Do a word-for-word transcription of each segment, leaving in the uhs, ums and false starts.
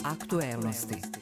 Aktuelnosti.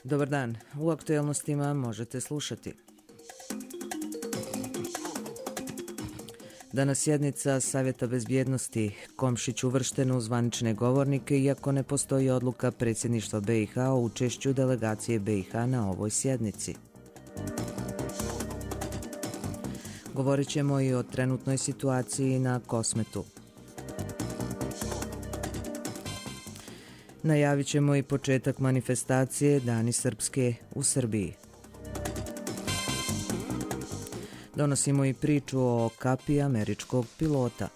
Dobar dan, u aktuelnostima možete slušati. Danas sjednica Savjeta bezbjednosti, Komšić uvršten u zvanične govornike iako ne postoji odluka predsjedništva B i H o učešću delegacije B i H na ovoj sjednici. Govorit ćemo i o trenutnoj situaciji na Kosmetu. Najavit ćemo i početak manifestacije Dani Srpske u Srbiji. Donosimo i priču o kapiji američkog pilota.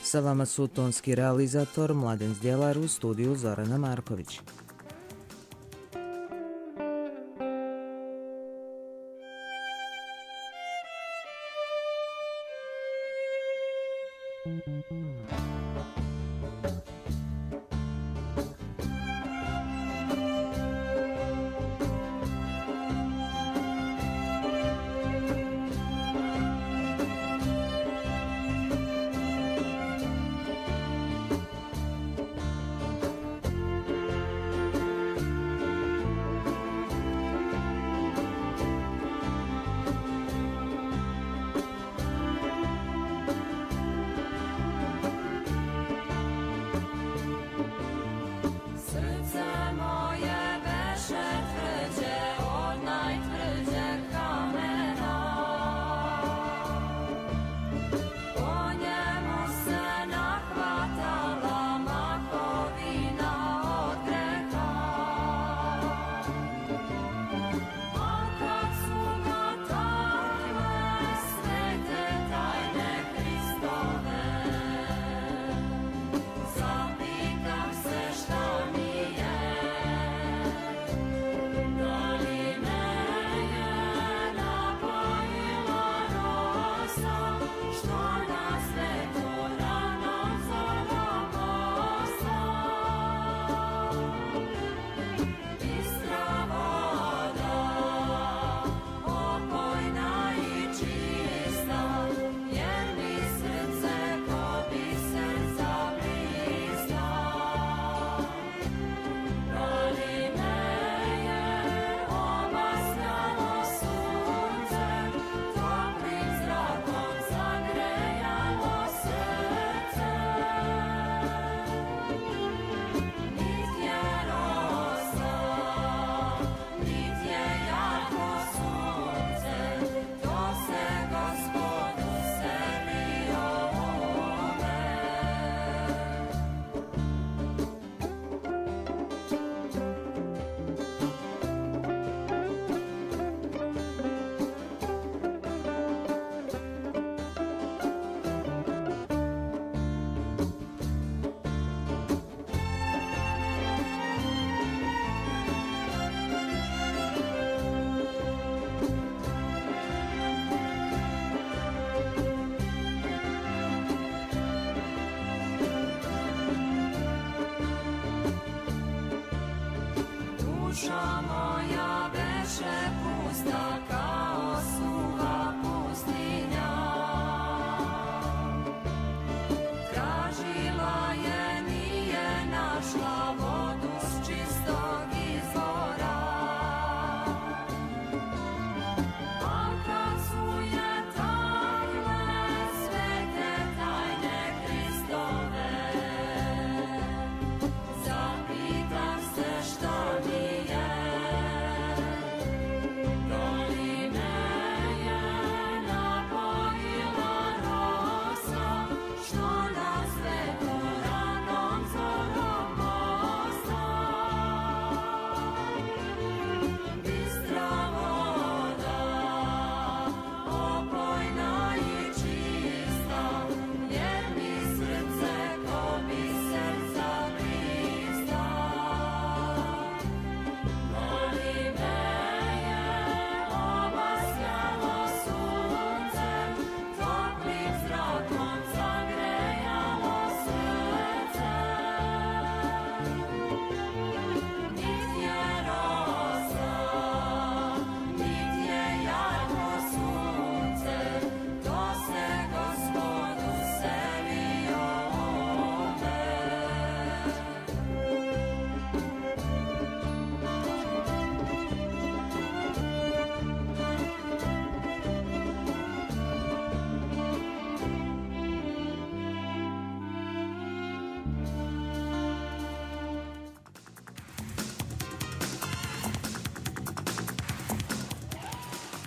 Sa vama su tonski realizator Mladen Zdjelar, u studiju Zorana Marković.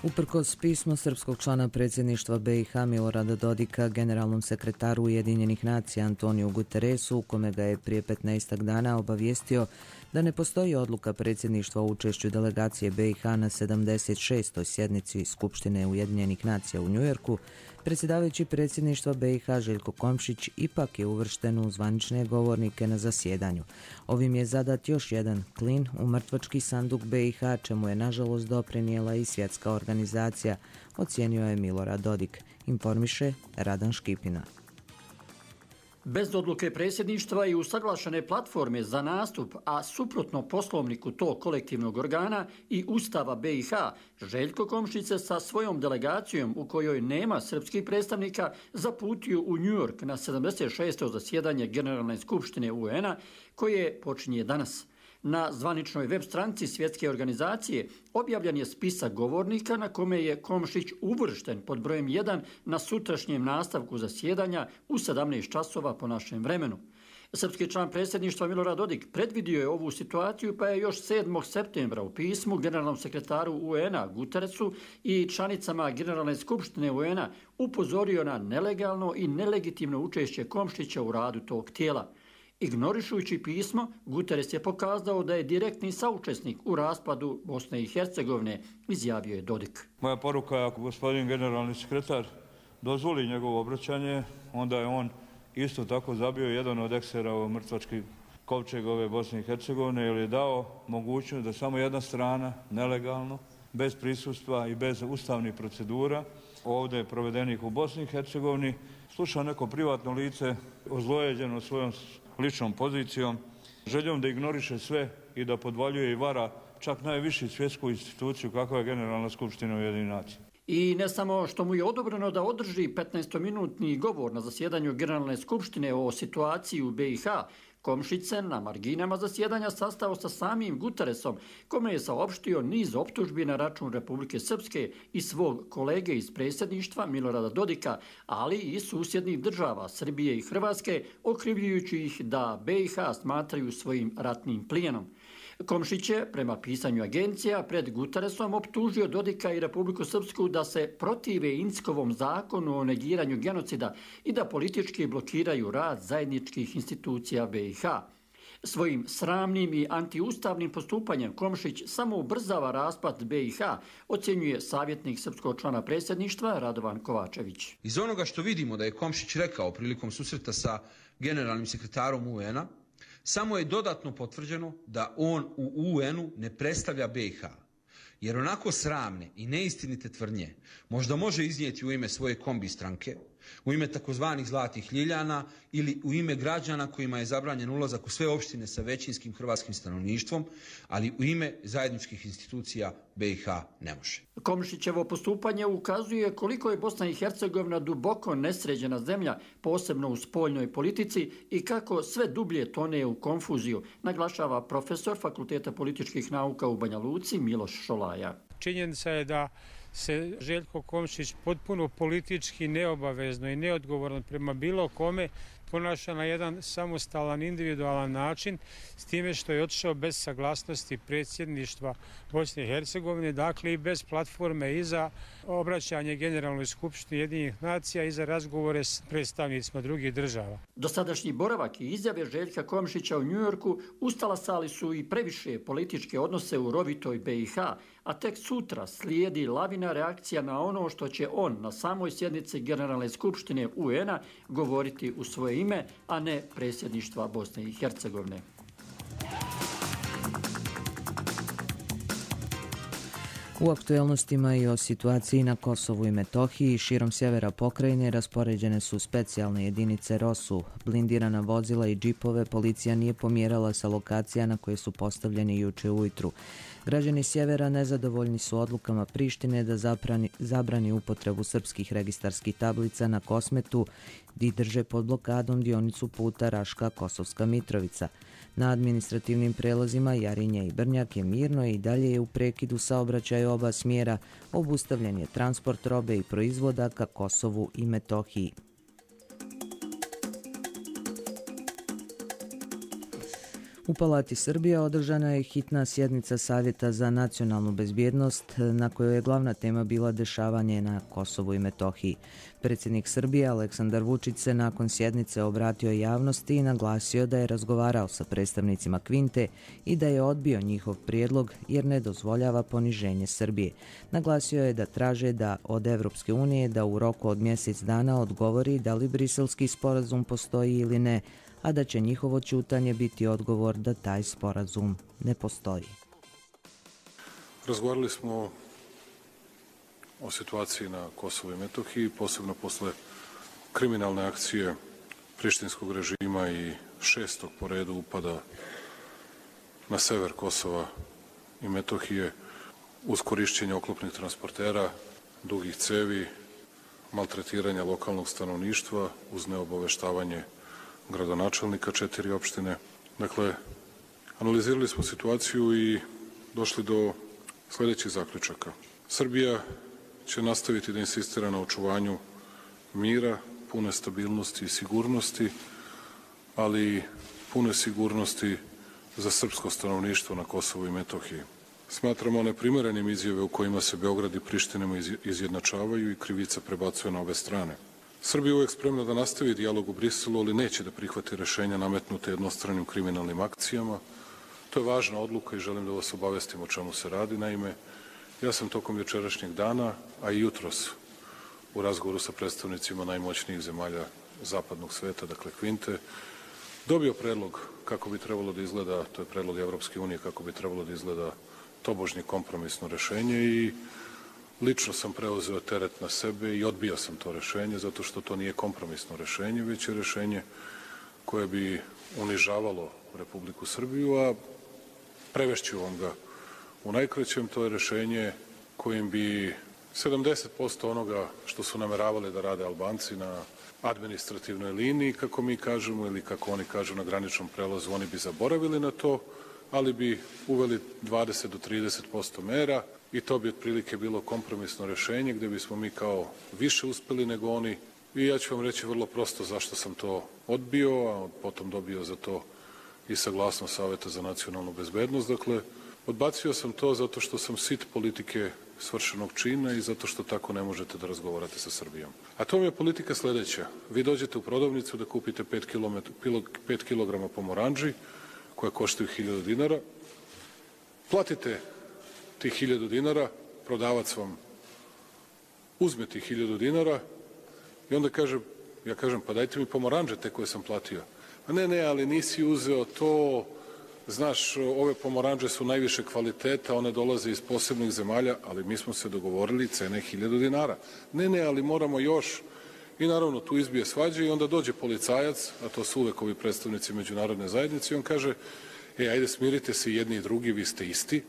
Uprkos pismo srpskog člana predsjedništva B i H Milorada Dodika generalnom sekretaru Ujedinjenih nacija Antoniju Guterresu, u kome ga je prije petnaestak dana obavijestio da ne postoji odluka predsjedništva o učešću delegacije B i H na sedamdeset šestoj sjednici Skupštine Ujedinjenih nacija u Njujorku, predsjedavajući predsjedništva B i H Željko Komšić ipak je uvršten u zvanične govornike na zasjedanju. Ovim je zadat još jedan klin u mrtvački sanduk B i H, čemu je nažalost doprinijela i svjetska organizacija, ocijenio je Milorad Dodik, informiše Radan Škipina. Bez odluke predsjedništva i usaglašene platforme za nastup, a suprotno poslovniku tog kolektivnog organa i Ustava B i H, Željko Komšić se sa svojom delegacijom, u kojoj nema srpskih predstavnika, zaputio u New York na sedamdeset šesto zasjedanje Generalne skupštine U N-a, koje počinje danas. Na zvaničnoj web stranici svjetske organizacije objavljen je spisak govornika na kome je Komšić uvršten pod brojem jedan na sutrašnjem nastavku zasjedanja u sedamnaest časova po našem vremenu. Srpski član predsjedništva Milorad Dodik predvidio je ovu situaciju, pa je još sedmog septembra u pismu generalnom sekretaru U N-a Guterresu i članicama Generalne skupštine U N-a upozorio na nelegalno i nelegitimno učešće Komšića u radu tog tijela. Ignorišujući pismo, Guterres je pokazao da je direktni saučesnik u raspadu Bosne i Hercegovine, izjavio je Dodik. Moja poruka je, ako gospodin generalni sekretar dozvoli njegovo obraćanje, onda je on isto tako zabio jedan od eksera u mrtvački kovčeg ove Bosne i Hercegovine, jer je dao mogućnost da samo jedna strana, nelegalno, bez prisustva i bez ustavnih procedura, ovdje provedenih u Bosni i Hercegovini, sluša neko privatno lice ozlojeđeno svojom ličnom pozicijom, željom da ignoriše sve i da podvaljuje i vara čak najvišu svjetsku instituciju kakva je Generalna skupština Ujedinjenih nacija. I ne samo što mu je odobreno da održi petnaestominutni govor na zasjedanju Generalne skupštine o situaciji u B i H, Komšić se na marginama zasjedanja sastao sa samim Guterresom, kome je saopštio niz optužbi na račun Republike Srpske i svog kolege iz predsjedništva Milorada Dodika, ali i susjednih država Srbije i Hrvatske, okrivljujući ih da B i H smatraju svojim ratnim plijenom. Komšić je, prema pisanju agencija, pred Guterresom optužio Dodika i Republiku Srpsku da se protive Inckovom zakonu o negiranju genocida i da politički blokiraju rad zajedničkih institucija B i H. Svojim sramnim i antiustavnim postupanjem Komšić samo ubrzava raspad B i H, ocjenjuje savjetnik srpskog člana predsjedništva Radovan Kovačević. Iz onoga što vidimo da je Komšić rekao prilikom susreta sa generalnim sekretarom U N-a, samo je dodatno potvrđeno da on u U N-u ne predstavlja B i H, jer onako sramne i neistinite tvrdnje možda može iznijeti u ime svoje kombi stranke, u ime takozvanih zlatih ljiljana ili u ime građana kojima je zabranjen ulazak u sve opštine sa većinskim hrvatskim stanovništvom, ali u ime zajedničkih institucija B i H ne može. Komšićevo postupanje ukazuje koliko je Bosna i Hercegovina duboko nesređena zemlja, posebno u spoljnoj politici, i kako sve dublje tone u konfuziju, naglašava profesor Fakulteta političkih nauka u Banja Luci Miloš Šolaja. Činjenica je da se Željko Komšić potpuno politički neobavezno i neodgovorno prema bilo kome ponaša na jedan samostalan, individualan način, s time što je otišao bez saglasnosti predsjedništva Bosne i Hercegovine, dakle i bez platforme i za obraćanje Generalnoj skupštini Ujedinjenih nacija i za razgovore s predstavnicima drugih država. Dosadašnji boravak i izjave Željka Komšića u Njujorku ustalasali su i previše političke odnose u rovitoj B i H, a tek sutra slijedi lavina reakcija na ono što će on na samoj sjednici Generalne skupštine U N-a govoriti u svoje ime, a ne predsjedništva Bosne i Hercegovine. U aktuelnostima i o situaciji na Kosovu i Metohiji širom sjevera pokrajine raspoređene su specijalne jedinice ROSU, blindirana vozila i džipove policija nije pomjerala sa lokacija na koje su postavljeni juče ujutru. Građani sjevera nezadovoljni su odlukama Prištine da zabrani, zabrani upotrebu srpskih registarskih tablica na Kosmetu i drže pod blokadom dionicu puta Raška-Kosovska Mitrovica. Na administrativnim prelazima Jarinje i Brnjak je mirno i dalje je u prekidu saobraćaja oba smjera, obustavljen je transport robe i proizvoda ka Kosovu i Metohiji. U Palati Srbije održana je hitna sjednica Savjeta za nacionalnu bezbjednost na kojoj je glavna tema bila dešavanje na Kosovu i Metohiji. Predsjednik Srbije Aleksandar Vučić se nakon sjednice obratio javnosti i naglasio da je razgovarao sa predstavnicima Kvinte i da je odbio njihov prijedlog jer ne dozvoljava poniženje Srbije. Naglasio je da traže da od Evropske unije da u roku od mjesec dana odgovori da li briselski sporazum postoji ili ne, a da će njihovo ćutanje biti odgovor da taj sporazum ne postoji. Razgovarali smo o situaciji na Kosovu i Metohiji, posebno posle kriminalne akcije prištinskog režima i šestog po redu upada na sever Kosova i Metohije uz korišćenje oklopnih transportera, dugih cevi, maltretiranja lokalnog stanovništva uz neobaveštavanje gradonačelnika četiri opštine. Dakle, analizirali smo situaciju i došli do sljedećih zaključaka. Srbija će nastaviti da insistira na očuvanju mira, pune stabilnosti i sigurnosti, ali i pune sigurnosti za srpsko stanovništvo na Kosovu i Metohiji. Smatramo neprimerenim izjave u kojima se Beograd i Priština izjednačavaju i krivica prebacuje na obe strane. Srbija je uvijek spremna da nastavi dijalog u Briselu, ali neće da prihvati rešenja nametnute jednostranim kriminalnim akcijama. To je važna odluka i želim da vas obavestim o čemu se radi. Naime, ja sam tokom jučerašnjeg dana, a i jutros u razgovoru sa predstavnicima najmoćnijih zemalja zapadnog sveta, dakle Kvinte, dobio predlog kako bi trebalo da izgleda, to je predlog Evropske unije, kako bi trebalo da izgleda tobožnje kompromisno rešenje i lično sam preuzeo teret na sebe i odbio sam to rešenje zato što to nije kompromisno rešenje, već je rešenje koje bi unižavalo Republiku Srbiju, a prevešću vam ga u najkraćem. To je rešenje kojim bi sedamdeset posto onoga što su nameravali da rade Albanci na administrativnoj liniji, kako mi kažemo, ili kako oni kažu na graničnom prelazu, oni bi zaboravili na to, ali bi uveli dvadeset do trideset posto mera i to bi otprilike bilo kompromisno rešenje gde bismo mi kao više uspeli nego oni. I ja ću vam reći vrlo prosto zašto sam to odbio, a potom dobio za to i saglasnost Saveta za nacionalnu bezbednost. Dakle, odbacio sam to zato što sam sit politike svršenog čina i zato što tako ne možete da razgovarate sa Srbijom. A to mi je politika sledeća. Vi dođete u prodavnicu da kupite pet kilograma pomoranđi koje koštaju hiljadu dinara, platite tih hiljadu dinara, prodavac vam uzme tih hiljadu dinara i onda kaže, ja kažem, pa dajte mi pomoranđe te koje sam platio. A ne, ne, ali nisi uzeo to, znaš, ove pomoranđe su najviše kvaliteta, one dolaze iz posebnih zemalja, ali mi smo se dogovorili cene hiljadu dinara. Ne, ne, ali moramo još. I naravno tu izbije svađe i onda dođe policajac, a to su uvek ovi predstavnici međunarodne zajednice, i on kaže, e, ajde smirite se jedni i drugi, vi ste isti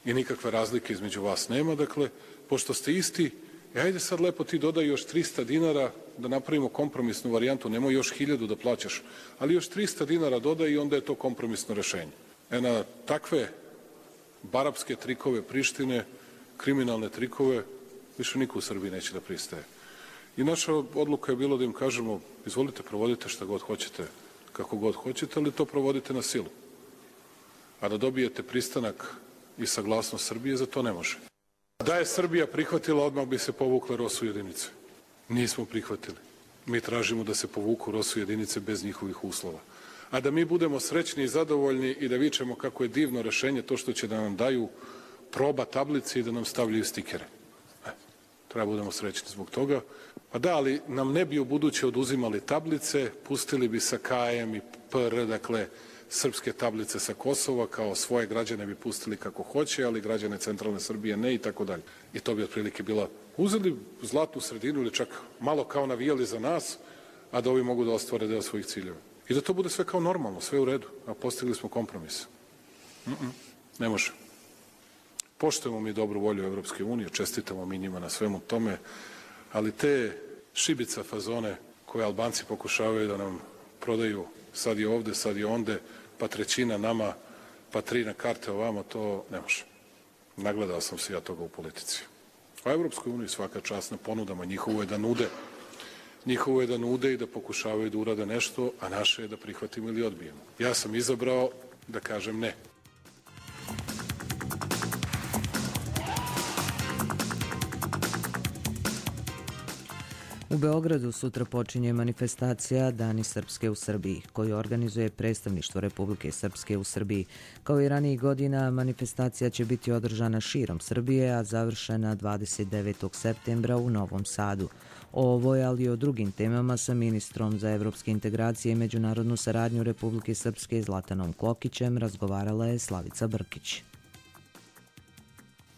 i nikakve razlike između vas nema, dakle, pošto ste isti, e, ajde sad lepo ti dodaj još trista dinara da napravimo kompromisnu varijantu, nemoj još hiljadu da plaćaš, ali još trista dinara dodaj i onda je to kompromisno rešenje. E, na takve barapske trikove Prištine, kriminalne trikove, više niko u Srbiji neće da pristaje. I naša odluka je bilo da im kažemo, izvolite, provodite šta god hoćete, kako god hoćete, ali to provodite na silu. A da dobijete pristanak i saglasnost Srbije, za to ne može. Da je Srbija prihvatila, odmah bi se povukle ROSU jedinice. Nismo prihvatili. Mi tražimo da se povuku ROSU jedinice bez njihovih uslova. A da mi budemo srećni i zadovoljni i da vičemo kako je divno rešenje to što će da nam daju proba tablice i da nam stavljaju stikere. E, treba budemo srećni zbog toga. Pa da, ali nam ne bi u buduće oduzimali tablice, pustili bi sa K M i P R, dakle, srpske tablice sa Kosova, kao svoje građane bi pustili kako hoće, ali građane centralne Srbije ne i tako dalje. I to bi otprilike bila, uzeli zlatnu sredinu ili čak malo kao navijali za nas, a da ovi mogu da ostvare deo svojih ciljeva. I da to bude sve kao normalno, sve u redu, a postigli smo kompromis. Mm-mm, ne može. Poštujemo mi dobru volju Evropske unije, čestitamo mi njima na svemu tome, ali te šibica fazone koje Albanci pokušavaju da nam prodaju, sad je ovde, sad je onde, pa trećina nama, pa tri na karte ovamo, to ne može. Nagledao sam se ja toga u politici. A Evropskoj uniji svaka čast na ponudama, njihovo je da nude, Njihovo je da nude i da pokušavaju da urade nešto, a naše je da prihvatimo ili odbijemo. Ja sam izabrao da kažem ne. U Beogradu sutra počinje manifestacija Dani Srpske u Srbiji, koju organizuje predstavništvo Republike Srpske u Srbiji. Kao i ranijih godina, manifestacija će biti održana širom Srbije, a završena dvadeset devetog septembra u Novom Sadu. O ovoj, ali i o drugim temama sa ministrom za evropske integracije i međunarodnu saradnju Republike Srpske Zlatanom Klokićem razgovarala je Slavica Brkić.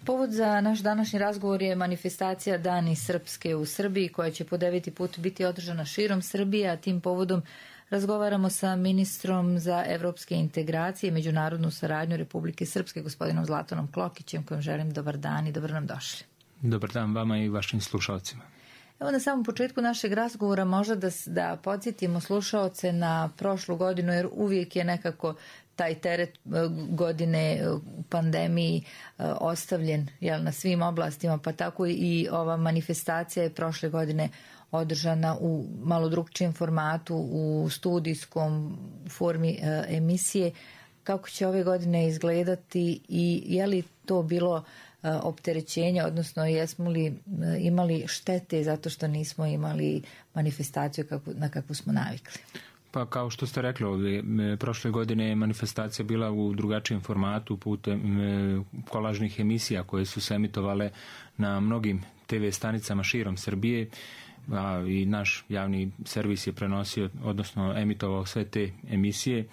Povod za naš današnji razgovor je manifestacija Dani Srpske u Srbiji, koja će po deveti put biti održana širom Srbije, a tim povodom razgovaramo sa ministrom za evropske integracije i međunarodnu saradnju Republike Srpske, gospodinom Zlatanom Klokićem, kojem želim dobar dan i dobro nam došli. Dobar dan vama i vašim slušalcima. Evo na samom početku našeg razgovora možda da, da podsjetimo slušaoce na prošlu godinu, jer uvijek je nekako taj teret godine u pandemiji ostavljen, jel, na svim oblastima, pa tako i ova manifestacija je prošle godine održana u malo drugčijem formatu, u studijskom formi emisije. Kako će ove godine izgledati i je li to bilo opterećenje, odnosno jesmo li imali štete zato što nismo imali manifestaciju na kakvu smo navikli? Pa kao što ste rekli ovdje, prošle godine je manifestacija bila u drugačijem formatu putem kolažnih emisija koje su se emitovale na mnogim te ve stanicama širom Srbije, a i naš javni servis je prenosio, odnosno emitovao sve te emisije.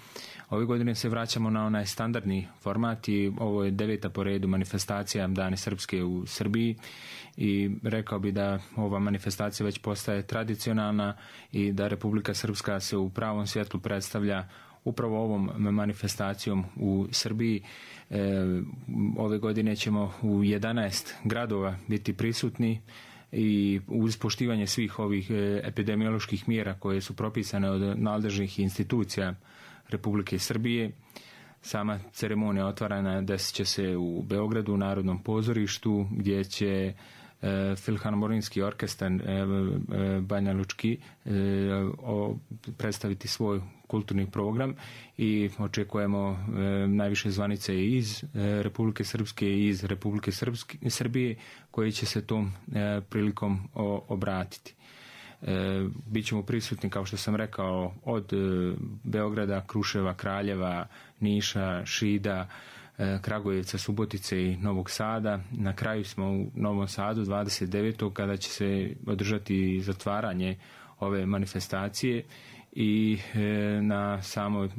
Ove godine se vraćamo na onaj standardni format i ovo je deveta po redu manifestacija Dani Srpske u Srbiji i rekao bi da ova manifestacija već postaje tradicionalna i da Republika Srpska se u pravom svjetlu predstavlja upravo ovom manifestacijom u Srbiji. E, ove godine ćemo u jedanaest gradova biti prisutni i uz poštivanje svih ovih epidemioloških mjera koje su propisane od nadležnih institucija Republike Srbije. Sama ceremonija otvaranja desit će se u Beogradu, u Narodnom pozorištu, gdje će e, Filharmonijski orkestar e, e, Banja Lučki e, o, predstaviti svoj kulturni program i očekujemo e, najviše zvanice iz e, Republike Srpske i iz Republike Srpske, Srbije koji će se tom e, prilikom o, obratiti. E, Bićemo prisutni, kao što sam rekao, od e, Beograda, Kruševa, Kraljeva, Niša, Šida, e, Kragujevca, Subotice i Novog Sada. Na kraju smo u Novom Sadu dvadeset devetog kada će se održati zatvaranje ove manifestacije i e, na samoj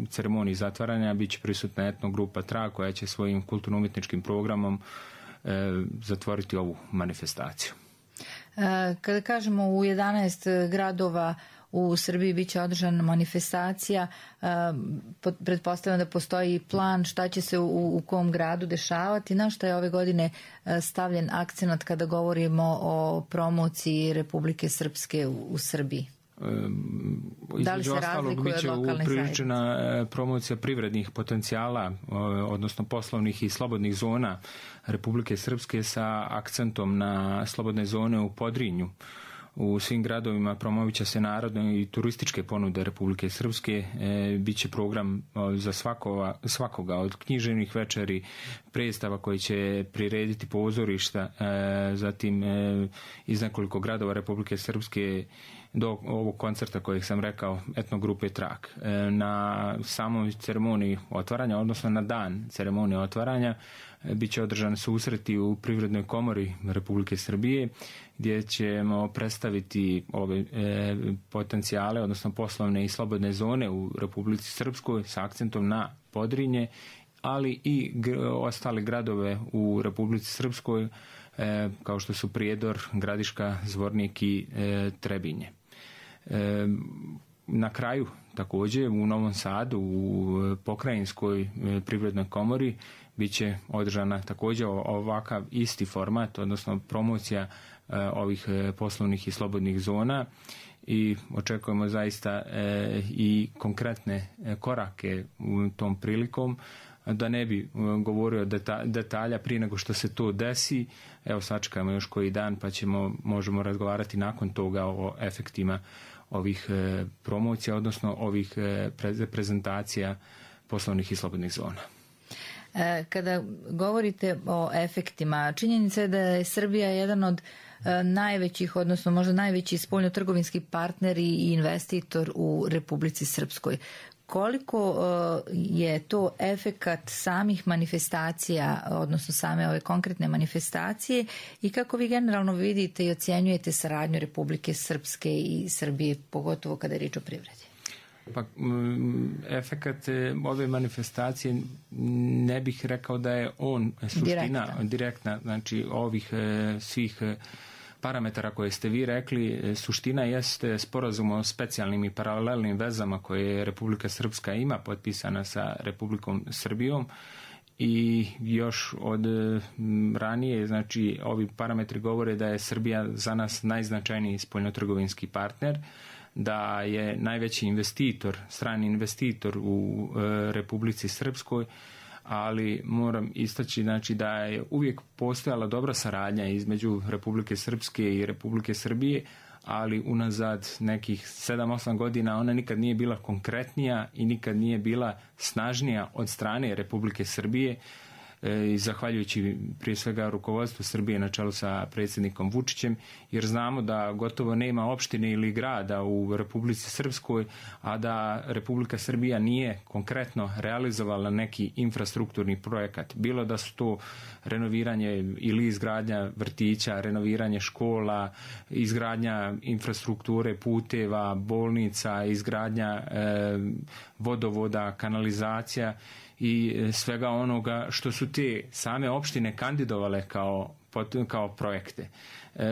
ceremoniji zatvaranja bit će prisutna etno grupa Trag koja će svojim kulturno-umjetničkim programom e, zatvoriti ovu manifestaciju. Kada kažemo u jedanaest gradova u Srbiji biće održana manifestacija, pretpostavljam da postoji plan šta će se u, u kom gradu dešavati, na šta je ove godine stavljen akcenat kada govorimo o promociji Republike Srpske u, u Srbiji? Da li se razlikuje od lokalne upriličena promocija privrednih potencijala, odnosno poslovnih i slobodnih zona Republike Srpske sa akcentom na slobodne zone u Podrinju. U svim gradovima promovit će se narodne i turističke ponude Republike Srpske. E, biće program za svakova, svakoga od književnih večeri, predstava koji će prirediti pozorišta, e, zatim e, iz nekoliko gradova Republike Srpske do ovog koncerta kojeg sam rekao, etnogrupe Trag. E, na samoj ceremoniji otvaranja, odnosno na dan ceremonije otvaranja, e, bit će održan susreti u Privrednoj komori Republike Srbije, gdje ćemo predstaviti ove e, potencijale, odnosno poslovne i slobodne zone u Republici Srpskoj sa akcentom na Podrinje, ali i g- ostale gradove u Republici Srpskoj, e, kao što su Prijedor, Gradiška, Zvornik i e, Trebinje. E, na kraju također u Novom Sadu u Pokrajinskoj privrednoj komori bit će održana također ovakav isti format, odnosno promocija e, ovih poslovnih i slobodnih zona i očekujemo zaista e, i konkretne korake u tom prilikom. da ne bi govorio detalja prije nego što se to desi. Evo, sačekajmo još koji dan pa ćemo, možemo razgovarati nakon toga o efektima ovih promocija, odnosno ovih prezentacija poslovnih i slobodnih zona. Kada govorite o efektima, činjenica je da je Srbija jedan od najvećih, odnosno možda najveći spoljnotrgovinski partner i investitor u Republici Srpskoj. Koliko je to efekat samih manifestacija, odnosno same ove konkretne manifestacije, i kako vi generalno vidite i ocjenjujete saradnju Republike Srpske i Srbije, pogotovo kada je riječ o privredi? Pa, efekat ove manifestacije ne bih rekao da je on suština direktna, direktna znači ovih svih parametara koje ste vi rekli. Suština jeste sporazum o specijalnim i paralelnim vezama koje Republika Srpska ima potpisana sa Republikom Srbijom, i još od ranije, znači ovi parametri govore da je Srbija za nas najznačajniji spoljnotrgovinski partner, da je najveći investitor, strani investitor u e, Republici Srpskoj, ali moram istaći, znači, da je uvijek postojala dobra saradnja između Republike Srpske i Republike Srbije, ali unazad nekih sedam osam godina ona nikad nije bila konkretnija i nikad nije bila snažnija od strane Republike Srbije, i zahvaljujući prije svega rukovodstvu Srbije na čelu sa predsjednikom Vučićem, jer znamo da gotovo nema opštine ili grada u Republici Srpskoj, a da Republika Srbija nije konkretno realizovala neki infrastrukturni projekat. Bilo da su to renoviranje ili izgradnja vrtića, renoviranje škola, izgradnja infrastrukture, puteva, bolnica, izgradnja e, vodovoda, kanalizacija i svega onoga što su te same opštine kandidovale kao, kao projekte. E,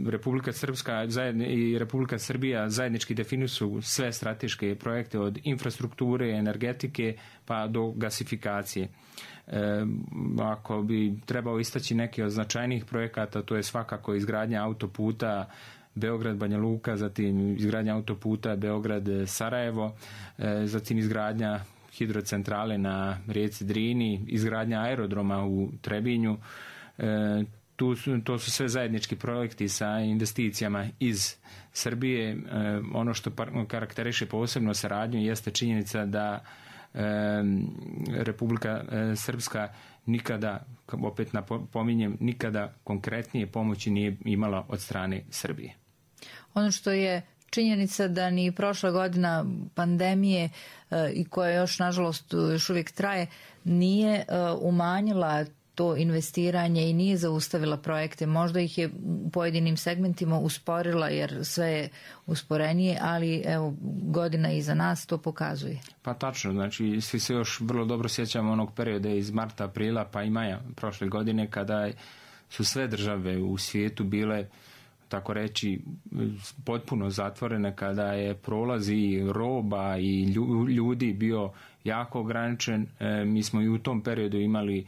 Republika Srpska i Republika Srbija zajednički definišu sve strateške projekte od infrastrukture, energetike pa do gasifikacije. E, ako bi trebao istaći neke od značajnijih projekata, to je svakako izgradnja autoputa Beograd-Banja Luka, zatim izgradnja autoputa Beograd-Sarajevo, e, zatim izgradnja hidrocentrale na rijeci Drini, izgradnja aerodroma u Trebinju. E, tu su, to su sve zajednički projekti sa investicijama iz Srbije. E, ono što karakteriše posebno saradnju jeste činjenica da e, Republika e, Srpska nikada, opet napominjem, nikada konkretnije pomoći nije imala od strane Srbije. Ono što je činjenica da ni prošla godina pandemije e, i koja još nažalost još uvijek traje nije e, umanjila to investiranje i nije zaustavila projekte. Možda ih je u pojedinim segmentima usporila jer sve je usporenije, ali evo, godina iza nas to pokazuje. Pa tačno, znači svi se još vrlo dobro sjećamo onog perioda iz marta, aprila pa i maja prošle godine kada su sve države u svijetu bile, tako reći, potpuno zatvorene, kada je prolaz i roba i ljudi bio jako ograničen. E, mi smo i u tom periodu imali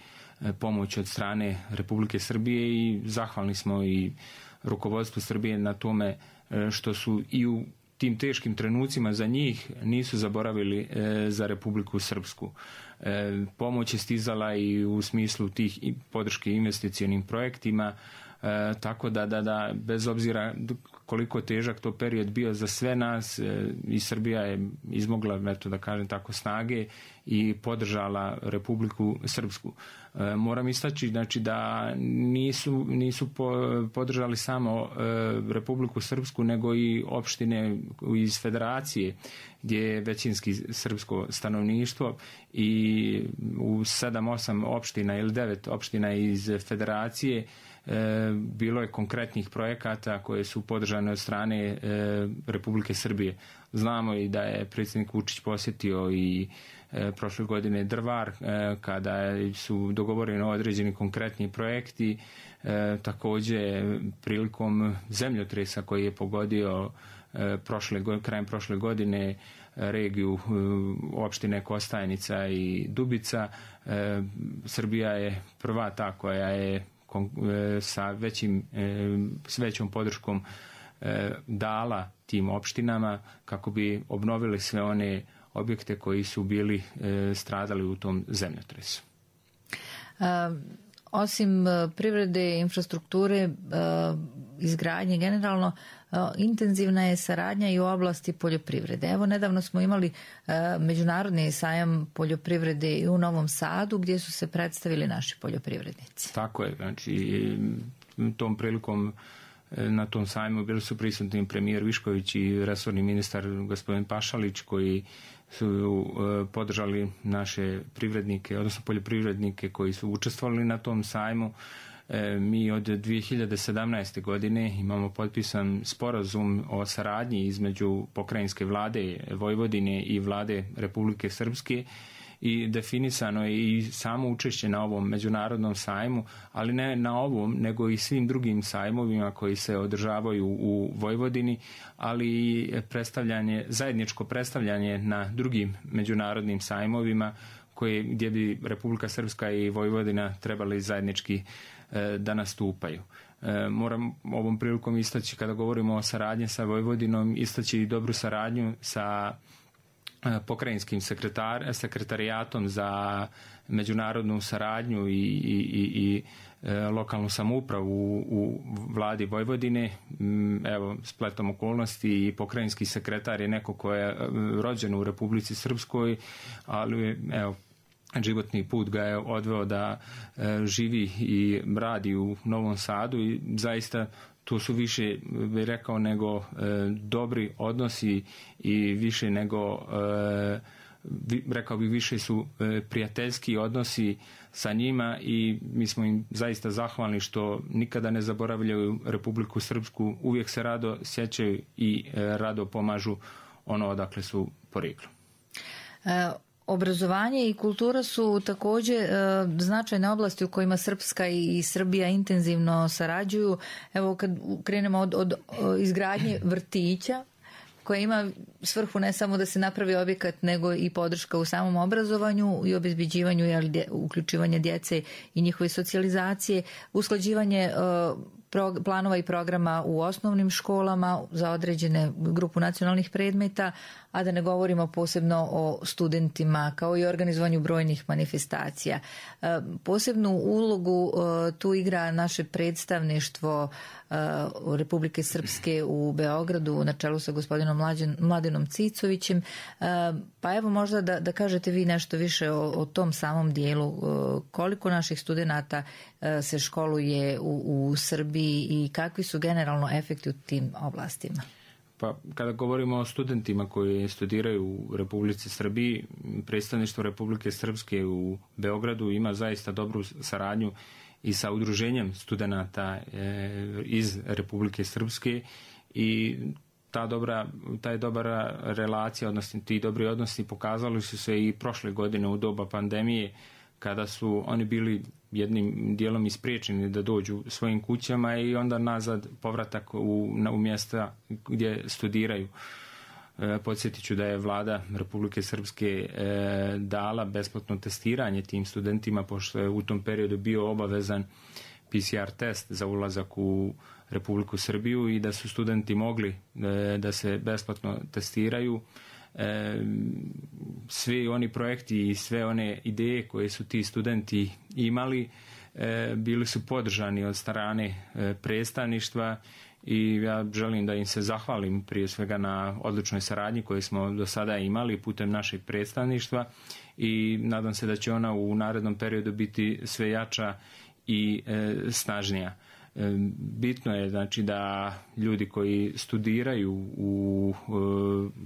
pomoć od strane Republike Srbije i zahvalni smo i rukovodstvu Srbije na tome što su i u tim teškim trenucima za njih nisu zaboravili e, za Republiku Srpsku. E, pomoć je stizala i u smislu tih podrške investicionim projektima, E, tako da, da, da bez obzira koliko težak to period bio za sve nas, e, i Srbija je izmogla, eto da kažem tako, snage i podržala Republiku Srpsku. E, moram istaći, znači, da nisu, nisu po, podržali samo e, Republiku Srpsku, nego i opštine iz federacije gdje je većinski srpsko stanovništvo, i u sedam osam opština ili devet opština iz federacije E, bilo je konkretnih projekata koje su podržane od strane e, Republike Srbije. Znamo i da je predsjednik Vučić posjetio i e, prošle godine Drvar, e, kada su dogovoreni određeni konkretni projekti. E, također prilikom zemljotresa koji je pogodio e, prošle, krajem prošle godine regiju e, opštine Kostajnica i Dubica, e, Srbija je prva ta koja je sa većim, s većom podrškom dala tim opštinama kako bi obnovili sve one objekte koji su bili stradali u tom zemljotresu. Osim privrede, infrastrukture, izgradnje generalno, intenzivna je saradnja i u oblasti poljoprivrede. Evo, nedavno smo imali međunarodni sajam poljoprivrede i u Novom Sadu gdje su se predstavili naši poljoprivrednici. Tako je, znači tom prilikom na tom sajmu bili su prisutni premijer Višković i resorni ministar gospodin Pašalić, koji su podržali naše privrednike, odnosno poljoprivrednike koji su učestvovali na tom sajmu. Mi od dvije hiljade sedamnaeste. godine imamo potpisan sporazum o saradnji između pokrajinske vlade Vojvodine i vlade Republike Srpske i definisano je i samo učešće na ovom međunarodnom sajmu, ali ne na ovom, nego i svim drugim sajmovima koji se održavaju u Vojvodini, ali i predstavljanje, zajedničko predstavljanje na drugim međunarodnim sajmovima koje, gdje bi Republika Srpska i Vojvodina trebali zajednički e, da nastupaju. E, moram ovom prilikom istaći, kada govorimo o saradnji sa Vojvodinom, istaći i dobru saradnju sa pokrajinskim sekretar, sekretarijatom za međunarodnu saradnju i, i, i, i e, lokalnu samoupravu u, u vladi Vojvodine. Evo, spletom okolnosti i pokrajinski sekretar je neko ko je rođen u Republici Srpskoj, ali evo, životni put ga je odveo da e, živi i radi u Novom Sadu i zaista to su više, bih rekao, nego e, dobri odnosi i više nego, e, vi, rekao bih, više su e, prijateljski odnosi sa njima i mi smo im zaista zahvalni što nikada ne zaboravljaju Republiku Srpsku, uvijek se rado sjećaju i e, rado pomažu ono odakle su porijeklom. E, Obrazovanje i kultura su također e, značajne oblasti u kojima Srpska i Srbija intenzivno sarađuju. Evo, kad krenemo od, od izgradnje vrtića, koja ima svrhu ne samo da se napravi objekat, nego i podrška u samom obrazovanju i obezbeđivanju i uključivanje djece i njihove socijalizacije, usklađivanje e, planova i programa u osnovnim školama za određene grupu nacionalnih predmeta, a da ne govorimo posebno o studentima, kao i organizovanju brojnih manifestacija. Posebnu ulogu tu igra naše predstavništvo Republike Srpske u Beogradu na čelu sa gospodinom Mladenom Cicovićem. Pa evo, možda da, da kažete vi nešto više o, o tom samom dijelu, koliko naših studenata se školuje u, u Srbiji i kakvi su generalno efekti u tim oblastima? Pa, kada govorimo o studentima koji studiraju u Republici Srbiji, predstavništvo Republike Srpske u Beogradu ima zaista dobru saradnju i sa udruženjem studenata e, iz Republike Srpske i ta dobra, ta je dobra relacija, odnosno ti dobri odnosi pokazali su se i prošle godine u doba pandemije, kada su oni bili jednim dijelom ispriječeni da dođu svojim kućama i onda nazad povratak u, u mjesta gdje studiraju. E, podsjetit ću da je vlada Republike Srpske e, dala besplatno testiranje tim studentima, pošto je u tom periodu bio obavezan P C R test za ulazak u Republiku Srbiju i da su studenti mogli e, da se besplatno testiraju. E, svi oni projekti i sve one ideje koje su ti studenti imali e, bili su podržani od strane e, predstavništva i ja želim da im se zahvalim prije svega na odličnoj saradnji koju smo do sada imali putem našeg predstavništva i nadam se da će ona u narednom periodu biti sve jača i e, snažnija. Bitno je, znači, da ljudi koji studiraju u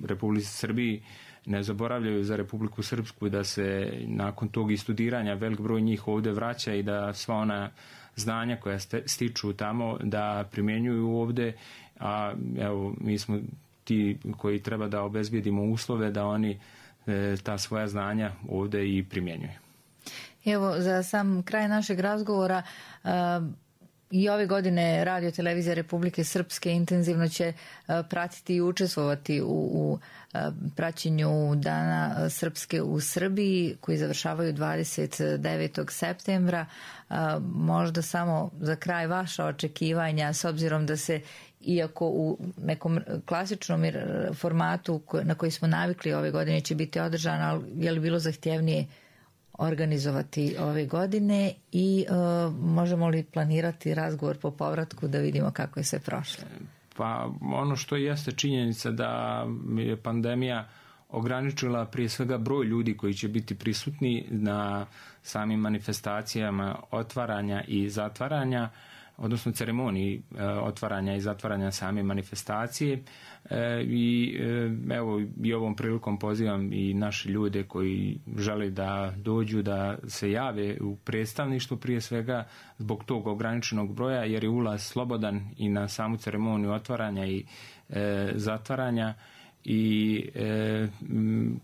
Republici Srbiji ne zaboravljaju za Republiku Srpsku, da se nakon tog i studiranja velik broj njih ovdje vraća i da sva ona znanja koja stiču tamo da primjenjuju ovdje, a evo, mi smo ti koji treba da obezbijedimo uslove da oni ta svoja znanja ovdje i primjenjuju. Evo, za sam kraj našeg razgovora, I ove godine Radio televizija Republike Srpske intenzivno će pratiti i učestvovati u, u praćenju Dana Srpske u Srbiji koji završavaju dvadeset devetog septembra. Možda samo za kraj vaša očekivanja, s obzirom da se, iako u nekom klasičnom formatu na koji smo navikli ove godine će biti održan, ali je li bilo zahtjevnije organizovati ove godine i uh, možemo li planirati razgovor po povratku da vidimo kako je sve prošlo? Pa ono što jeste činjenica da je pandemija ograničila prije svega broj ljudi koji će biti prisutni na samim manifestacijama otvaranja i zatvaranja, odnosno ceremoniji e, otvaranja i zatvaranja same manifestacije e, i e, evo i ovom prilikom pozivam i naše ljude koji žele da dođu da se jave u predstavništvo prije svega zbog tog ograničenog broja, jer je ulaz slobodan i na samu ceremoniju otvaranja i e, zatvaranja i e,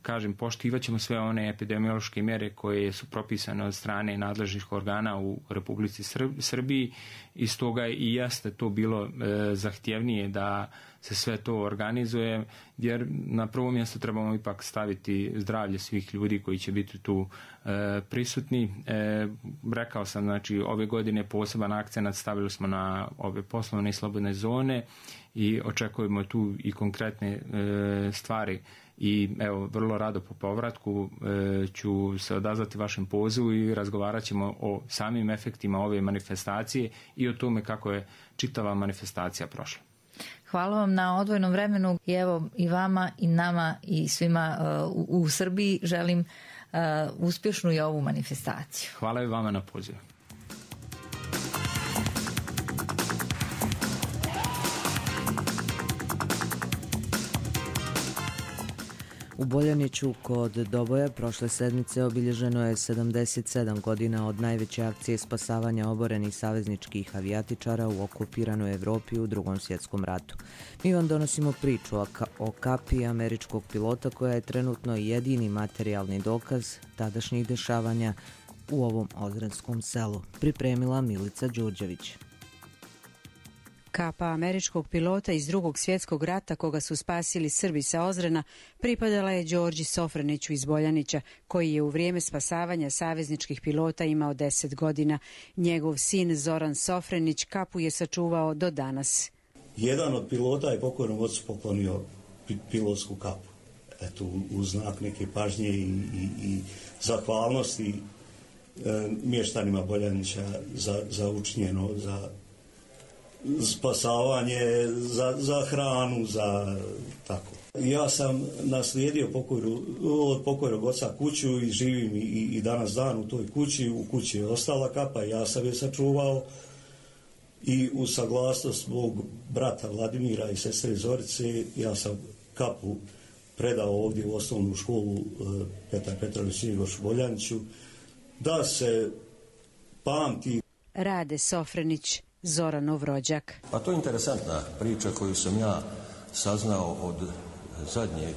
kažem, poštivat ćemo sve one epidemiološke mjere koje su propisane od strane nadležnih organa u Republici Srbiji i stoga i jeste to bilo e, zahtjevnije da se sve to organizuje, jer na prvo mjesto trebamo ipak staviti zdravlje svih ljudi koji će biti tu e, prisutni. E, rekao sam, znači, ove godine poseban akcenat stavili smo na ove poslovne i slobodne zone i očekujemo tu i konkretne e, stvari i evo, vrlo rado po povratku e, ću se odazvati vašem pozivu i razgovarat ćemo o samim efektima ove manifestacije i o tome kako je čitava manifestacija prošla. Hvala vam na odvojenom vremenu i evo i vama i nama i svima uh, u, u Srbiji želim uh, uspješnu i ovu manifestaciju. Hvala i vama na pozivu. U Boljaniću kod Doboja prošle sedmice obilježeno je sedamdeset sedam godina od najveće akcije spasavanja oborenih savezničkih avijatičara u okupiranoj Evropi u Drugom svjetskom ratu. Mi vam donosimo priču o, ka- o kapiji američkog pilota koja je trenutno jedini materijalni dokaz tadašnjih dešavanja u ovom Ozrenskom selu. Pripremila Milica Đurđević. Kapa američkog pilota iz Drugog svjetskog rata koga su spasili Srbi sa Ozrena pripadala je Đorđi Sofraniću iz Boljanića, koji je u vrijeme spasavanja savezničkih pilota imao deset godina. Njegov sin Zoran Sofranić kapu je sačuvao do danas. Jedan od pilota je pokojnom ocu poklonio pilotsku kapu. Eto, u znak neke pažnje i, i, i zahvalnosti e, mještanima Boljanića za, za učinjeno, za spasavanje, za, za hranu, za tako. Ja sam naslijedio pokojru, od pokojnog oca kuću i živim i, i danas dan u toj kući. U kući je ostala kapa, ja sam je sačuvao i u saglasnost mog brata Vladimira i sestre Zorice ja sam kapu predao ovdje u osnovnu školu Petar Petrović Njegoš u Boljaniću da se pamti. Rade Sofranić, Zoranov rođak. Pa to je interesantna priča koju sam ja saznao od zadnjeg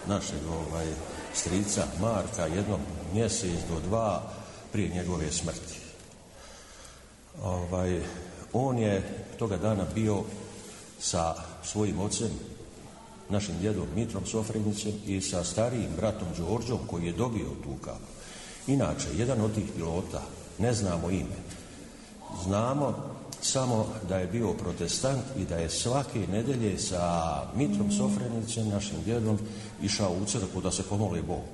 našeg ovaj, strica Marka, jednom mjesec do dva prije njegove smrti. Ovaj, on je toga dana bio sa svojim ocem, našim djedom Mitrom Sofranićem i sa starijim bratom Đorđom koji je dobio tu kapu. Inače, jedan od tih pilota, ne znamo ime, znamo samo da je bio protestant i da je svake nedelje sa Mitrom Sofranićem, našim djedom, išao u crkvu da se pomoli Bogu.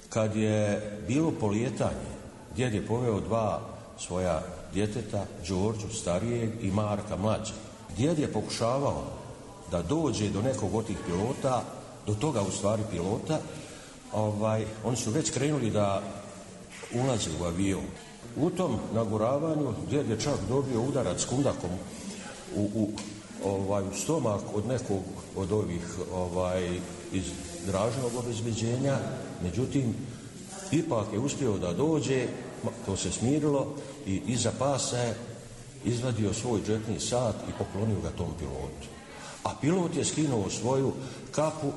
Kad je bilo polijetanje, djed je poveo dva svoja djeteta, Đorđu starijeg i Marka mlađeg. Djed je pokušavao da dođe do nekog od tih pilota, do toga u stvari pilota, ovaj, oni su već krenuli da ulaze u avion. U tom naguravanju djed je čak dobio udarac kundakom u, u, ovaj, u stomak od nekog od ovih ovaj, iz dražnog obezbeđenja, međutim ipak je uspio da dođe, to se smirilo i iza pasa je izvadio svoj džepni sat i poklonio ga tom pilotu. A pilot je skinuo svoju kapu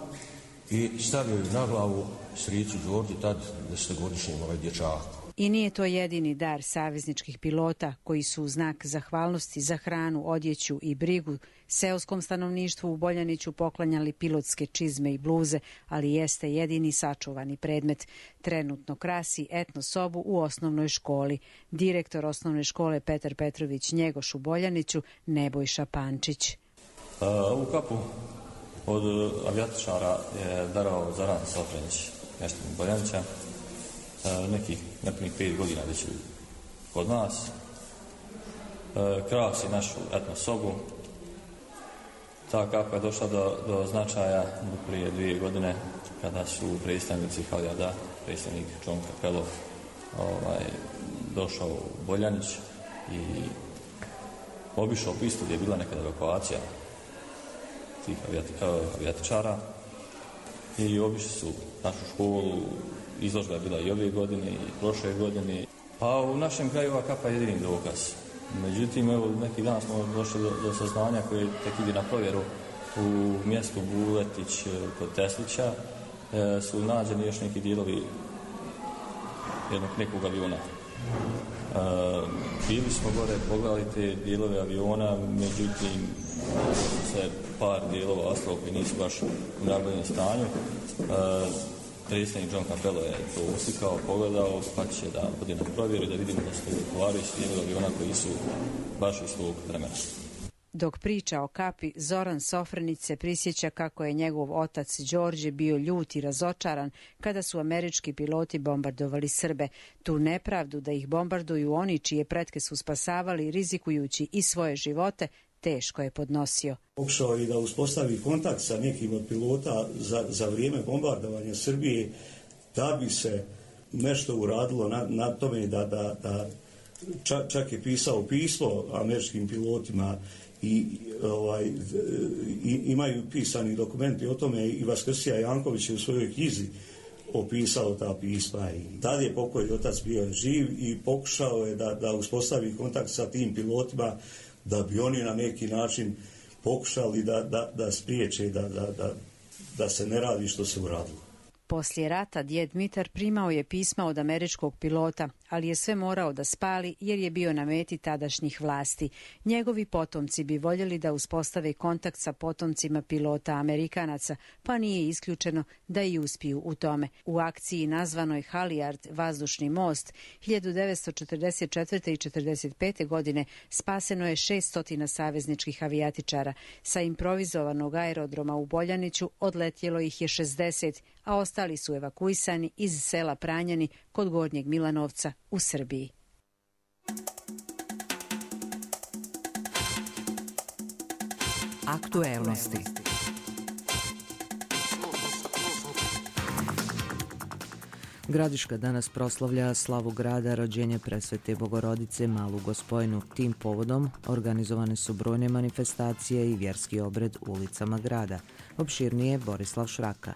i stavio ju na glavu stricu Đorđi, tad desetogodišnjem ovaj dječaku. I nije to jedini dar savezničkih pilota koji su u znak zahvalnosti za hranu, odjeću i brigu seoskom stanovništvu u Boljaniću poklanjali pilotske čizme i bluze, ali jeste jedini sačuvani predmet. Trenutno krasi etno sobu u osnovnoj školi. Direktor osnovne škole Petar Petrović Njegoš u Boljaniću, Nebojša Pančić. Ovu kapu od avijatičara je darao Zoran Sofrenić, mještanik Boljanića. Nekih nepunih pet godina već kod nas. Krasi našu etno sobu. Ta kapa je došla do, do značaja prije dvije godine kada su predstavnici Halijada, predstavnik John Capello, ovaj, došao u Boljanić i obišao pistu gdje je bila nekada evakuacija tih avijatičara i obišli su našu školu. Izložba je bila i ove godine i prošle godine. Pa u našem kraju ova kapa je jedini dokaz. Međutim, evo, neki dan smo došli do, do saznanja koje tek ide na provjeru u mjestu Buletić kod Teslića. E, su nađeni još neki dijelovi jednog nekog aviona. E, bili smo gore, pogledali te dijelove aviona, međutim, se par dijelova ostalo koji nisu baš u najboljem stanju. E, Predstavnik John Capello je to uslikao, pogledao, pa će da bude na provjeru da vidimo da su odgovarajući dijelovi aviona koji su baš iz tog vremena. Dok priča o kapi, Zoran Sofrenić se prisjeća kako je njegov otac Đorđe bio ljut i razočaran kada su američki piloti bombardovali Srbe. Tu nepravdu da ih bombarduju oni čije pretke su spasavali rizikujući i svoje živote, teško je podnosio. Pokušao i da uspostavi kontakt sa nekim od pilota za, za vrijeme bombardovanja Srbije da bi se nešto uradilo na, na tome da, da, da čak, čak je pisao pismo američkim pilotima i ovaj, i, imaju pisani dokumenti o tome i Vaskrsija Janković je u svojoj knjizi opisao ta pisma i tad je pokojni otac bio živ i pokušao je da, da uspostavi kontakt sa tim pilotima da bi oni na neki način pokušali da, da, da spriječe, da, da, da, da se ne radi što se uradilo. Poslije rata djed Mitar primao je pisma od američkog pilota, ali je sve morao da spali jer je bio na meti tadašnjih vlasti. Njegovi potomci bi voljeli da uspostave kontakt sa potomcima pilota Amerikanaca, pa nije isključeno da i uspiju u tome. U akciji nazvanoj Halijard vazdušni most hiljadu devetsto četrdeset četvrte. i četrdeset pete. godine spaseno je šesnaest stotina savezničkih avijatičara. Sa improvizovanog aerodroma u Boljaniću odletjelo ih je šezdeset, a ostali su evakuisani iz sela Pranjani kod Gornjeg Milanovca u Srbiji. Aktuelnosti. Gradiška danas proslavlja slavu grada, rođenje Presvete Bogorodice, Malu Gospojnu. Tim povodom organizovane su brojne manifestacije i vjerski obred ulicama grada. Opširnije Borislav Šraka.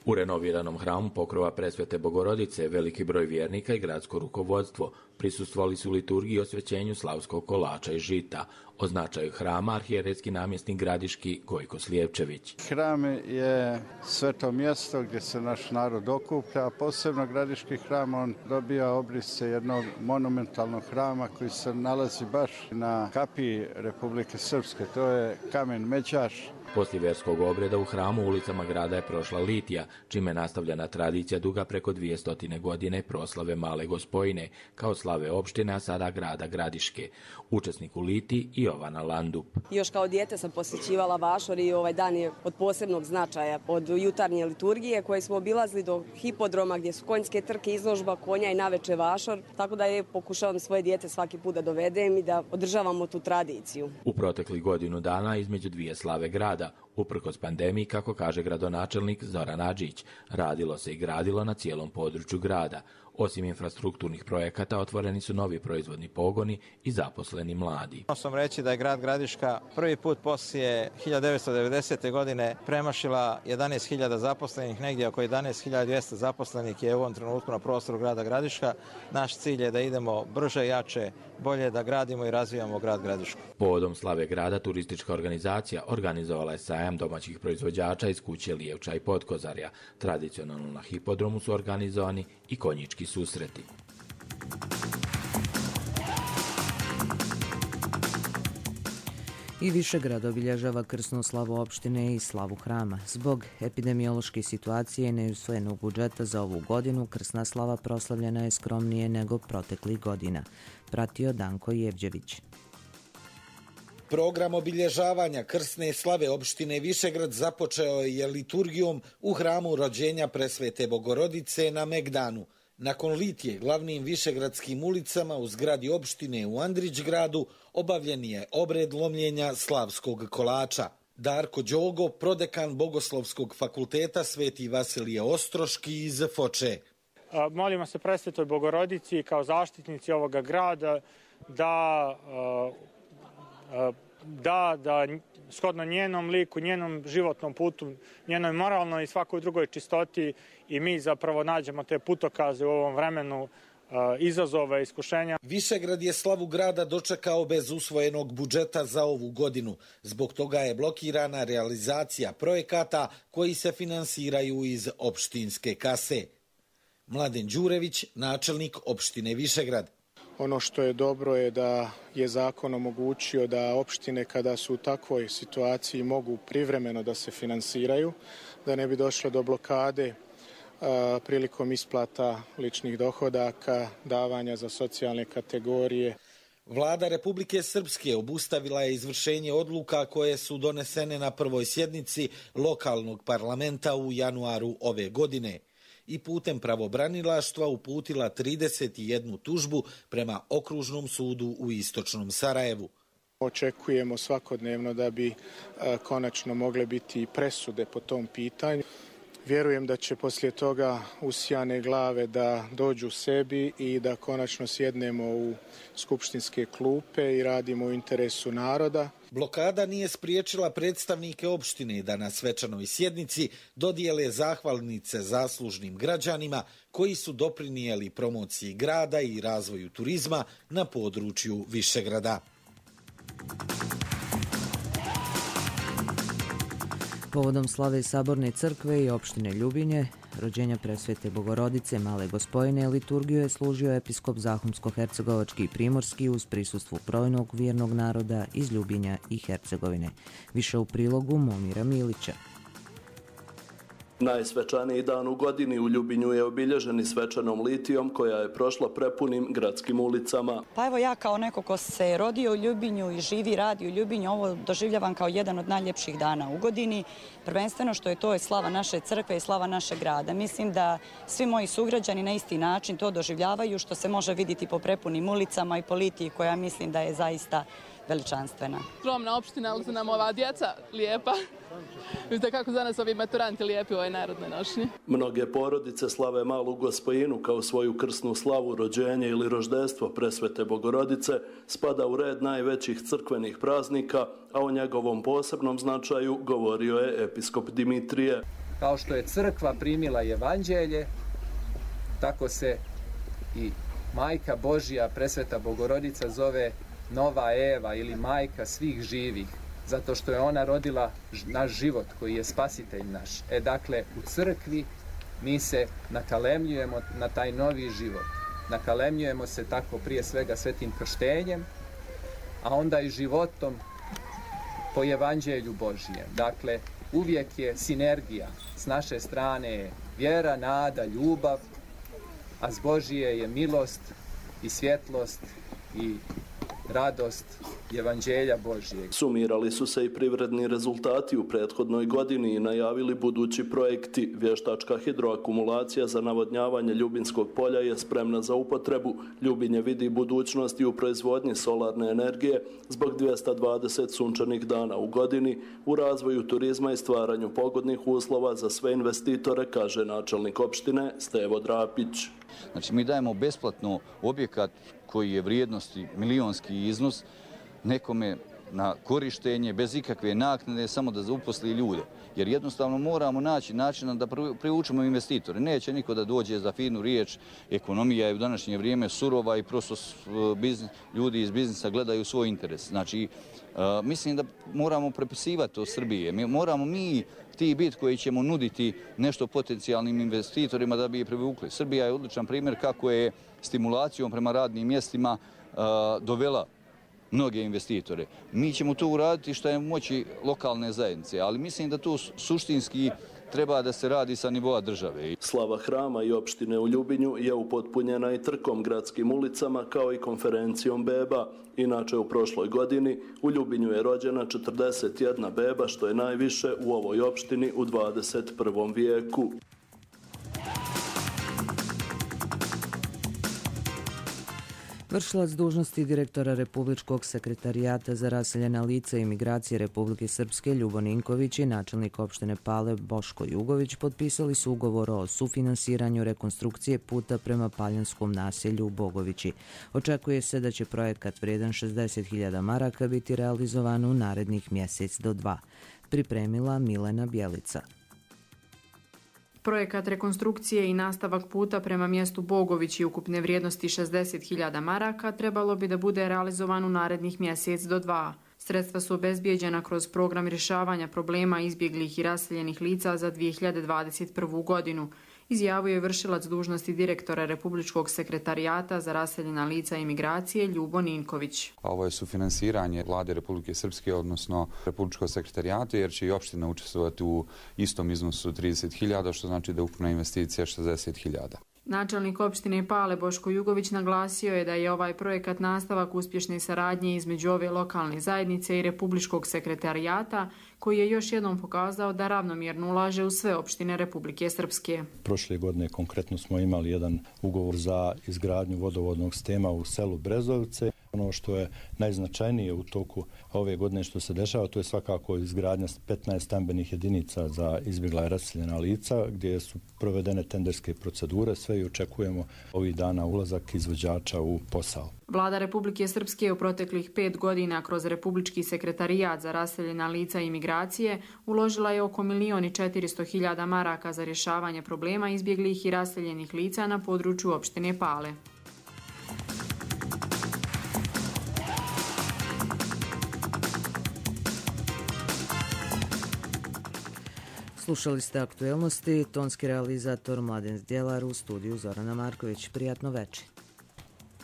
U renoviranom hramu Pokrova Presvete Bogorodice veliki broj vjernika i gradsko rukovodstvo prisustvovali su liturgiji i osvećenju slavskog kolača i žita. O značaju hrama arhijeretski namjesnik gradiški Gojko Slijepčević. Hram je sveto mjesto gdje se naš narod okuplja, posebno gradiški hram, on dobija obrise jednog monumentalnog hrama koji se nalazi baš na kapiji Republike Srpske, to je kamen Međaš. Poslije vjerskog obreda u hramu ulicama grada je prošla litija, čime je nastavljena tradicija duga preko dvije stotine godine proslave Male Gospojine, kao slave opštine, a sada grada Gradiške. Učesnik u litiji Jovana Landup. Još kao dijete sam posjećivala Vašor i ovaj dan je od posebnog značaja. Od jutarnje liturgije koje smo obilazili do hipodroma gdje su konjske trke, izložba konja i naveče Vašor, tako da je pokušavam svoje dijete svaki put da dovedem i da održavamo tu tradiciju. U proteklih godinu dana između dvije slave grada, uprkos pandemiji, kako kaže gradonačelnik Zoran Adžić, radilo se i gradilo na cijelom području grada. Osim infrastrukturnih projekata, otvoreni su novi proizvodni pogoni i zaposleni mladi. Moram sam reći da je grad Gradiška prvi put poslije hiljadu devetsto devedesete. godine premašila jedanaest hiljada zaposlenih, negdje oko jedanaest hiljada dvjesto zaposlenih je u ovom trenutku na prostoru grada Gradiška. Naš cilj je da idemo brže, jače, bolje, da gradimo i razvijamo grad Gradišku. Povodom slave grada turistička organizacija organizovala je sajam sajam domaćih proizvođača iz kuće Lijevča i Potkozarja. Tradicionalno na hipodromu su organizovani i konjički susreti. I Višegrad obilježava krsnu slavu opštine i slavu hrama. Zbog epidemiološke situacije i neusvojenog budžeta za ovu godinu, krsna slava proslavljena je skromnije nego proteklih godina. Pratio Danko Jevđević. Program obilježavanja krsne slave opštine Višegrad započeo je liturgijom u hramu rođenja Presvete Bogorodice na Megdanu. Nakon litije glavnim višegradskim ulicama u zgradi opštine u Andrićgradu obavljen je obred lomljenja slavskog kolača. Darko Đogo, prodekan Bogoslovskog fakulteta Sveti Vasilije Ostroški iz Foče. Molimo se Presvetoj Bogorodici kao zaštitnici ovoga grada da da, da shodno njenom liku, njenom životnom putu, njenoj moralnoj i svakoj drugoj čistoti i mi zapravo nađemo te putokaze u ovom vremenu izazova i iskušenja. Višegrad je slavu grada dočekao bez usvojenog budžeta za ovu godinu. Zbog toga je blokirana realizacija projekata koji se finansiraju iz opštinske kase. Mladen Đurević, načelnik opštine Višegrad. Ono što je dobro je da je zakon omogućio da opštine kada su u takvoj situaciji mogu privremeno da se finansiraju, da ne bi došlo do blokade a, prilikom isplata ličnih dohodaka, davanja za socijalne kategorije. Vlada Republike Srpske obustavila je izvršenje odluka koje su donesene na prvoj sjednici lokalnog parlamenta u januaru ove godine i putem pravobranilaštva uputila trideset jednu tužbu prema Okružnom sudu u Istočnom Sarajevu. Očekujemo svakodnevno da bi a, konačno mogle biti presude po tom pitanju. Vjerujem da će poslije toga usijane glave da dođu sebi i da konačno sjednemo u skupštinske klupe i radimo u interesu naroda. Blokada nije spriječila predstavnike opštine da na svečanoj sjednici dodijele zahvalnice zaslužnim građanima koji su doprinijeli promociji grada i razvoju turizma na području Višegrada. Povodom slave Saborne crkve i opštine Ljubinje, rođenja Presvete Bogorodice Male Gospojine, liturgiju je služio episkop Zahumsko-hercegovački i primorski uz prisustvu brojnog vjernog naroda iz Ljubinja i Hercegovine. Više u prilogu Momira Milića. Najsvečaniji dan u godini u Ljubinju je obilježeni svečanom litijom koja je prošla prepunim gradskim ulicama. Pa evo ja kao neko ko se rodio u Ljubinju i živi, radi u Ljubinju, ovo doživljavam kao jedan od najljepših dana u godini. Prvenstveno što je to je slava naše crkve i slava našeg grada. Mislim da svi moji sugrađani na isti način to doživljavaju, što se može vidjeti po prepunim ulicama i po litiji koja mislim da je zaista veličanstvena. Skromna opština, ali su nam ova djeca lijepa. Vidite kako za nas ovi maturanti lijepi u ovoj narodnoj nošnji. Mnoge porodice slave Malu Gospojinu kao svoju krsnu slavu, rođenje ili roždestvo Presvete Bogorodice spada u red najvećih crkvenih praznika, a o njegovom posebnom značaju govorio je episkop Dimitrije. Kao što je crkva primila evanđelje, tako se i Majka Božja, Presveta Bogorodica, zove Nova Eva ili majka svih živih, zato što je ona rodila naš život koji je spasitelj naš. E dakle, u crkvi mi se nakalemljujemo na taj novi život. Nakalemljujemo se tako prije svega svetim krštenjem, a onda i životom po evanđelju Božijem. Dakle, uvijek je sinergija. S naše strane je vjera, nada, ljubav, a s Božije je milost i svjetlost i radost evanđelja Božijeg. Sumirali su se i privredni rezultati u prethodnoj godini i najavili budući projekti. Vještačka hidroakumulacija za navodnjavanje Ljubinskog polja je spremna za upotrebu. Ljubinje vidi budućnosti u proizvodnji solarne energije zbog dvjesto dvadeset sunčanih dana u godini, u razvoju turizma i stvaranju pogodnih uslova za sve investitore, kaže načelnik opštine Stevo Drapić. Znači, mi dajemo besplatno objekat koji je vrijednosti milionski iznos nekome na korištenje, bez ikakve naknade, samo da uposli ljude. Jer jednostavno moramo naći načina da privučemo investitore. Neće niko da dođe za finu riječ. Ekonomija je u današnje vrijeme surova i prosto biznis, ljudi iz biznisa gledaju svoj interes. Znači, mislim da moramo prepisivati to Srbije. Mi, moramo mi ti biti koji ćemo nuditi nešto potencijalnim investitorima da bi je privukli. Srbija je odličan primjer kako je stimulacijom prema radnim mjestima uh, dovela mnoge investitore. Mi ćemo to uraditi što je u moći lokalne zajednice, ali mislim da to suštinski treba da se radi sa nivoa države. Slava hrama i opštine u Ljubinju je upotpunjena i trkom gradskim ulicama kao i konferencijom beba. Inače, u prošloj godini u Ljubinju je rođena četrdeset jedna beba, što je najviše u ovoj opštini u dvadeset prvom vijeku. Vršilac dužnosti direktora Republičkog sekretarijata za raseljena lica i migracije Republike Srpske Ljubo Ninković i načelnik opštine Pale Boško Jugović potpisali su ugovor o sufinansiranju rekonstrukcije puta prema Paljanskom naselju u Bogovići. Očekuje se da će projekat vredan šezdeset hiljada maraka biti realizovan u narednih mjesec do dva. Pripremila Milena Bjelica. Projekat rekonstrukcije i nastavak puta prema mjestu Bogović i ukupne vrijednosti šezdeset hiljada maraka trebalo bi da bude realizovan u narednih mjesec do dva. Sredstva su obezbijeđena kroz program rješavanja problema izbjeglih i raseljenih lica za dvije hiljade dvadeset prvu godinu, izjavio je vršilac dužnosti direktora Republičkog sekretarijata za raseljena lica i migracije Ljubo Ninković. Ovo je sufinansiranje Vlade Republike Srpske, odnosno Republičkog sekretarijata, jer će i opština učestvovati u istom iznosu trideset hiljada, što znači da je ukupna investicija šezdeset hiljada. Načelnik opštine Pale Boško Jugović naglasio je da je ovaj projekat nastavak uspješne saradnje između ove lokalne zajednice i Republičkog sekretarijata, koji je još jednom pokazao da ravnomjerno ulaže u sve opštine Republike Srpske. Prošle godine konkretno smo imali jedan ugovor za izgradnju vodovodnog sistema u selu Brezovice. Ono što je najznačajnije u toku ove godine što se dešava, to je svakako izgradnja petnaest stambenih jedinica za izbjegla i raseljena lica, gdje su provedene tenderske procedure, sve i očekujemo ovih dana ulazak izvođača u posao. Vlada Republike Srpske u proteklih pet godina kroz Republički sekretarijat za raseljena lica i migracije uložila je oko milion i četiristo hiljada maraka za rješavanje problema izbjeglih i raseljenih lica na području opštine Pale. Slušali ste aktuelnosti, tonski realizator Mladen Zdjelar, u studiju Zorana Marković. Prijatno večer.